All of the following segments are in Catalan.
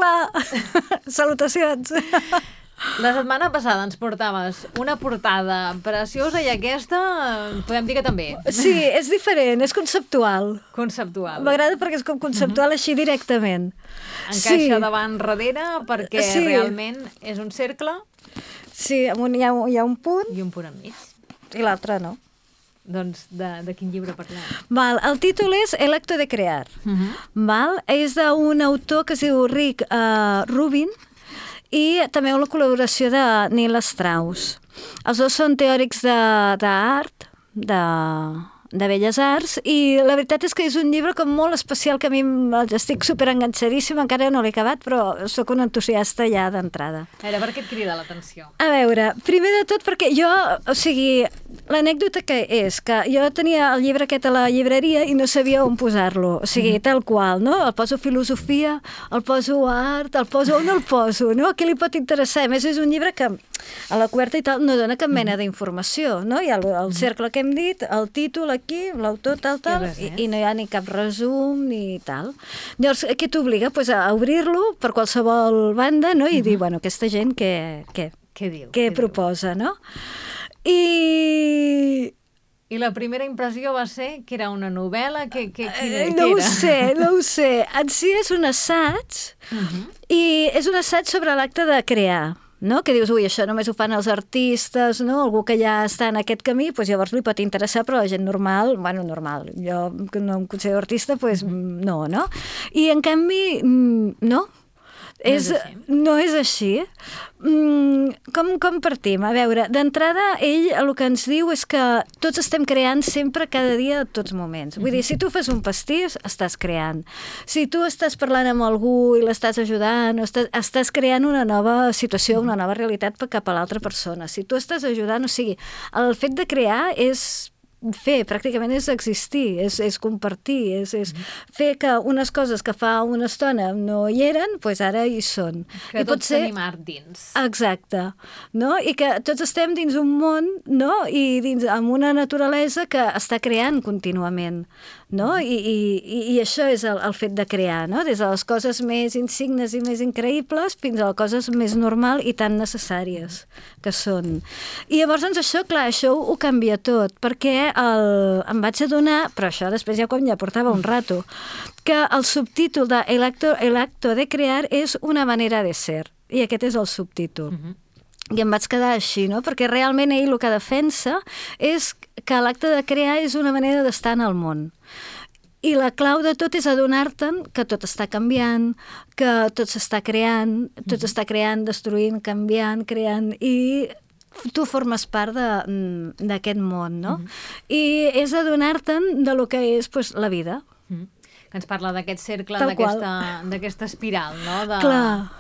Hola! Salutacions! La setmana passada ens portaves una portada preciosa i aquesta podem dir que també. Sí, és diferent, és conceptual. Conceptual. M'agrada perquè és com conceptual així directament. Encaixa davant darrere perquè realment és un cercle. Sí, amunt hi ha un punt. I un punt enmig. I l'altre no. Doncs de quin llibre parlem? Val, el títol és El acto de crear. Val? És d'un autor que es diu Rick Rubin, i també una col·laboració de Neil Strauss. Els dos són teòrics d'art, de belles arts, i la veritat és que és un llibre com molt especial que a mi estic superenganxadíssima, encara no l'he acabat, però sóc una entusiasta ja d'entrada. A veure, per què et crida l'atenció? A veure, primer de tot perquè jo, o sigui, l'anècdota que és que jo tenia el llibre aquest a la llibreria i no sabia on posar-lo, o sigui, tal qual, no? El poso filosofia, el poso art, el poso on el poso, no? A qui li pot interessar? A més, és un llibre que a la coberta i tal no dona cap mena d'informació, no? Hi ha el cercle que hem dit, el títol aquí, l'autor, tal, i no hi ha ni cap resum ni tal. Llavors, què t'obliga? Pues a obrir-lo per qualsevol banda, no? I dir, bueno, aquesta gent què diu? Què proposa, no? I la primera impressió va ser que era una novel·la? No ho sé. En si és un assaig, i és un assaig sobre l'acte de crear, no? Que dius, ui, això només ho fan els artistes, no? Algú que ja està en aquest camí, doncs llavors li pot interessar, però la gent normal, jo que no em considero artista, doncs no? I en canvi, no. No és així. Com partim? A veure, d'entrada, ell el que ens diu és que tots estem creant sempre, cada dia, a tots moments. Vull dir, si tu fas un pastís, estàs creant. Si tu estàs parlant amb algú i l'estàs ajudant, estàs creant una nova situació, una nova realitat cap a l'altra persona. Si tu estàs ajudant, o sigui, el fet de crear és fer, pràcticament és existir, és compartir, és fer que unes coses que fa una estona no hi eren, doncs ara hi són. Que tots tenim art dins. Exacte. No? I que tots estem dins un món, no? I amb una naturalesa que està creant contínuament. No? I això és el fet de crear, no? Des de les coses més insignes i més increïbles fins a les coses més normal i tan necessàries que són. I llavors, doncs, això, clar, això ho canvia tot, perquè em vaig adonar, però això després ja quan ja portava un rato, que el subtítol de El acto de crear és una manera de ser, i aquest és el subtítol. I em vaig quedar així, no? Perquè realment ell el que defensa és que l'acte de crear és una manera d'estar en el món. I la clau de tot és adonar-te'n que tot està canviant, que tot s'està creant, destruint, canviant, creant, i tu formes part d'aquest món, no? I és adonar-te'n de lo que és la vida. Que ens parla d'aquest cercle, d'aquesta espiral, no? Clar.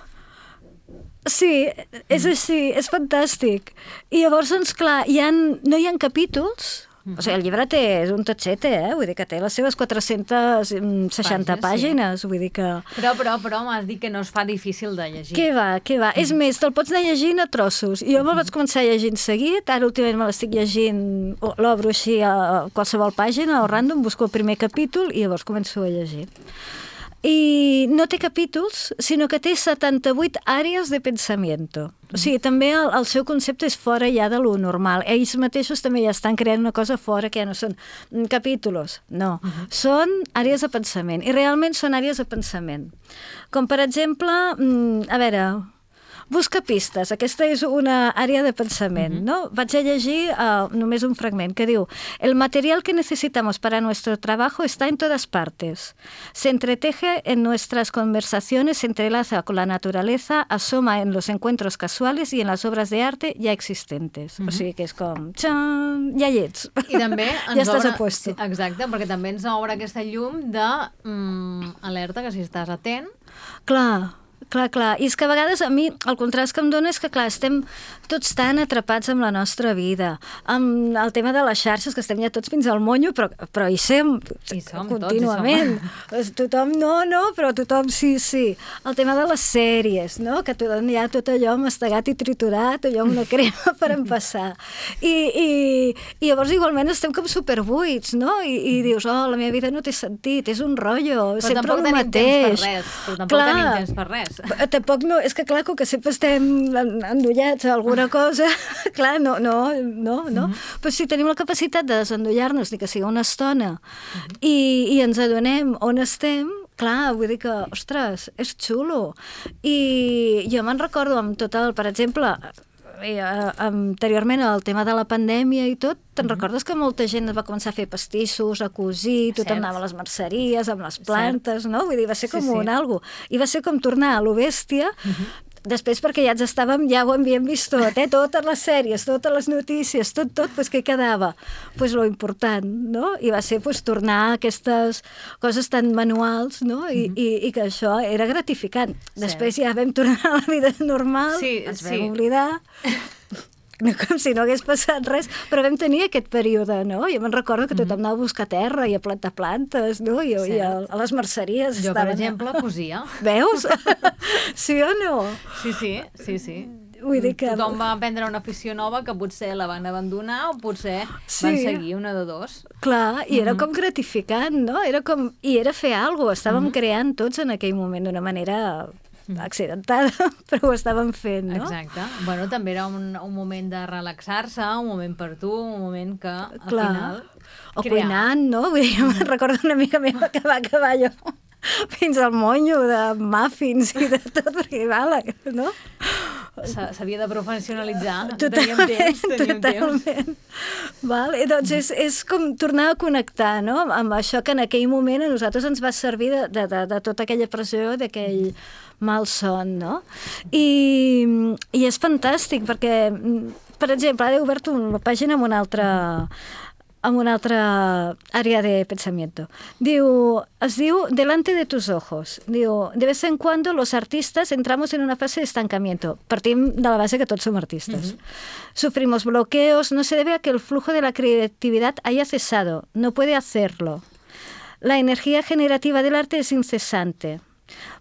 Sí, és així, és fantàstic. I llavors, doncs, clar, no hi ha capítols. O sigui, el llibre és un totxete, vull dir que té les seves 460 pàgines, vull dir que... Però m'has dit que no es fa difícil de llegir. Què va? És més, te'l pots anar llegint a trossos. Jo me'l vaig començar llegint seguit, ara últimament me l'estic llegint, l'obro així a qualsevol pàgina, o random, busco el primer capítol i llavors començo a llegir. I no té capítols, sinó que té 78 àrees de pensamiento. O sigui, també el seu concepte és fora ja de lo normal. Ells mateixos també ja estan creant una cosa fora que ja no són capítols, no. Són àrees de pensament, i realment són àrees de pensament. Com per exemple, a veure... Busca pistes, aquesta és una àrea de pensament, no? Vaig a llegir només un fragment que diu: el material que necesitamos para nuestro trabajo está en todas partes. Se entreteje en nuestras conversaciones, se entrelaza con la naturaleza, asoma en los encuentros casuales y en las obras de arte ya existentes. O sigui que és com... Txan! Ja hi ets. I també ja estàs a puesto. Exacte, perquè també ens obre aquesta llum de alerta, que si estàs atent... Clar. I és que a vegades a mi el contrast que em dona és que, clar, estem tots tan atrapats amb la nostra vida, amb el tema de les xarxes, que estem ja tots fins al monyo, però hi som contínuament. Tothom però tothom sí. El tema de les sèries, no? Que tothom ja tot allò mastegat i triturat, allò una crema per empassar. I llavors igualment estem com superbuits, no? I dius, la meva vida no té sentit, és un rotllo, sempre el mateix. Però tampoc tenim temps per res. Tampoc no, és que clar, com que sempre estem endollats a alguna cosa, clar, no. Però si tenim la capacitat de desendollar-nos, ni que sigui una estona, i ens adonem on estem, clar, vull dir que, ostres, és xulo. I jo me'n recordo amb tot el, per exemple, anteriorment el tema de la pandèmia i tot, te'n recordes que molta gent va començar a fer pastissos, a cosir, tothom anava a les merceries, amb les plantes, no? Vull dir, va ser com un algo. I va ser com tornar a lo bèstia, després perquè ja ho havíem vist tot, totes les sèries, totes les notícies, tot, doncs què quedava? Doncs lo important, no? I va ser tornar a aquestes coses tan manuals, no? I que això era gratificant. Després ja vam tornar a la vida normal, ens vam oblidar... com si no hagués passat res, però vam tenir aquest període, no? Jo me'n recordo que tothom anava a buscar terra i a plantar plantes, no? I a les merceries jo, per exemple, cosia. Veus? Sí o no? Sí. Vull dir que... Tothom va aprendre una afició nova que potser la van abandonar o potser van seguir una de dos. Clar, i era com gratificant, no? I era fer alguna cosa, estàvem creant tots en aquell moment d'una manera... accidentada, però ho estàvem fent, no? Exacte. Bueno, també era un moment de relaxar-se, un moment per tu, un moment que, al final... O cuinant, no? Vull dir, jo me'n recordo una amiga meva que va acabar allò fins al monyo de muffins i de tot, perquè no? S'havia de professionalitzar. Totalment. Temps. Vale? Doncs és com tornar a connectar, no? Amb això que en aquell moment a nosaltres ens va servir de tota aquella pressió, d'aquell malson, no? I és fantàstic, perquè, per exemple, ara he obert una pàgina amb una altra àrea de pensamiento. Es diu delante de tus ojos. Diu, de vez en cuando los artistas entramos en una fase de estancamiento. Partim de la base que tots som artistes. Sufrimos bloqueos, no se debe a que el flujo de la creatividad haya cesado, no puede hacerlo. La energía generativa del arte es incesante.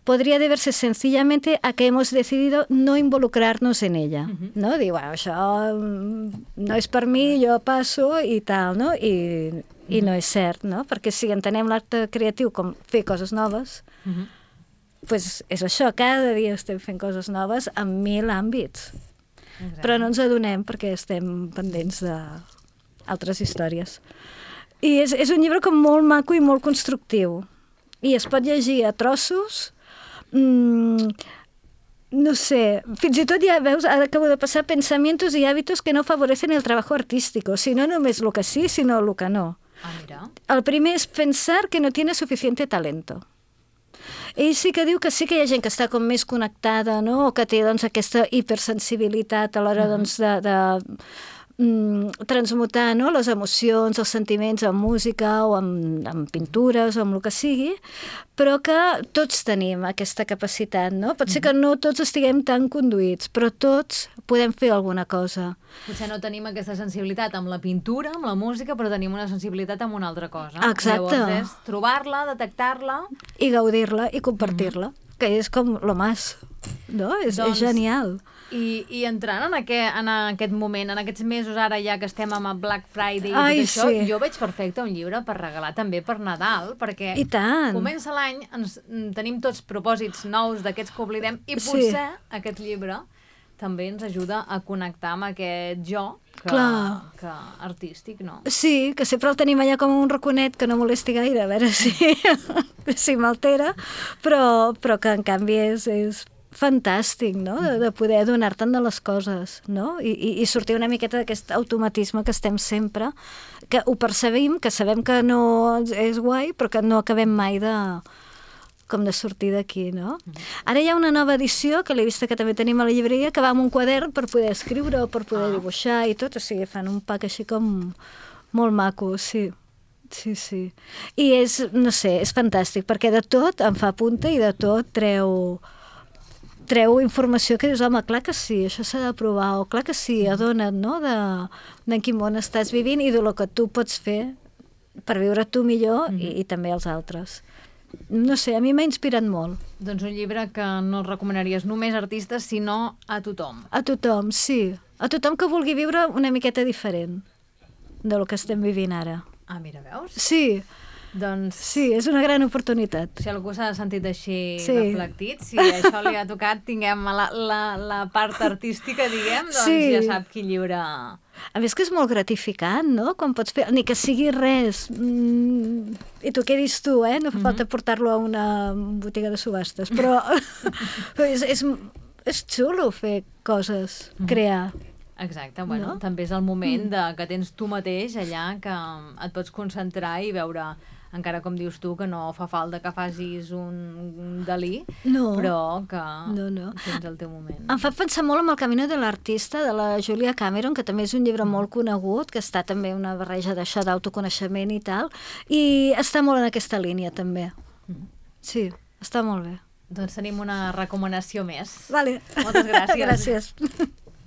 Podría deberse sencillamente a que hemos decidido no involucrarnos en ella, no? Diu, bueno, això no és per mi, jo passo i tal, no? I no és cert, no? Perquè si entenem l'art creatiu com fer coses noves, doncs és això, cada dia estem fent coses noves en 1000 àmbits. Exacte. Però no ens adonem perquè estem pendents d'altres històries. I és un llibre com molt maco i molt constructiu. I es pot llegir a trossos, no sé, fins i tot ja veus, ara acabo de passar pensamientos y hábitos que no favorecen el trabajo artístico, si no només el que sí, sinó el que no. Mira. El primer és pensar que no tiene suficiente talento. Ell sí que diu que sí que hi ha gent que està com més connectada, no? O que té doncs, aquesta hipersensibilitat a l'hora doncs, de transmutar, no? Les emocions, els sentiments en música o en pintures o en el que sigui, però que tots tenim aquesta capacitat, no? Pot ser que no tots estiguem tan conduïts, però tots podem fer alguna cosa. Potser no tenim aquesta sensibilitat amb la pintura, amb la música, però tenim una sensibilitat amb una altra cosa. Exacte. Llavors és trobar-la, detectar-la... I gaudir-la i compartir-la, que és com lo más, no? És genial. I entrant en aquest moment, en aquests mesos ara ja que estem amb el Black Friday i tot això, jo veig perfecte un llibre per regalar també per Nadal, perquè comença l'any, tenim tots propòsits nous d'aquests que oblidem i potser aquest llibre també ens ajuda a connectar amb aquest jo que artístic, no? Sí, que sempre el tenim allà com un raconet que no molesti gaire, a veure si m'altera, però que en canvi és fantàstic, no?, de poder adonar-te'n de les coses, no? I sortir una miqueta d'aquest automatisme que estem sempre, que ho percebim, que sabem que no és guai, però que no acabem mai de sortir d'aquí, no? Ara hi ha una nova edició, que l'he vista que també tenim a la llibreria, que va amb un quadern per poder escriure o per poder dibuixar i tot, o sigui, fan un pack així com molt maco, sí. Sí. I és, no sé, és fantàstic, perquè de tot em fa punta i de tot treu informació que dius, home, clar que sí, això s'ha de provar, o clar que sí, adona't, no?, de quin món estàs vivint i de lo que tu pots fer per viure tu millor i també els altres. No sé, a mi m'ha inspirat molt. Doncs un llibre que no el recomanaries només a artistes, sinó a tothom. A tothom, sí. A tothom que vulgui viure una miqueta diferent de lo que estem vivint ara. Ah, mira, veus? Sí. Doncs... Sí, és una gran oportunitat. Si algú s'ha sentit així reflectit, si això li ha tocat, tinguem la part artística, diguem, doncs ja sap quin llibre... A més que és molt gratificant, no? Quan pots fer... Ni que sigui res i t'ho quedis tu, no fa falta portar-lo a una botiga de subhastes, però és xulo fer coses, crear. Exacte, bueno, també és el moment que tens tu mateix allà, que et pots concentrar i veure, encara com dius tu, que no fa falta que facis un Dalí, però que tens el teu moment. Em fa pensar molt en El camino de l'artista, de la Julia Cameron, que també és un llibre molt conegut, que està també una barreja d'això d'autoconeixement i tal, i està molt en aquesta línia també. Sí, està molt bé. Doncs tenim una recomanació més. Vale. Moltes gràcies. Gràcies.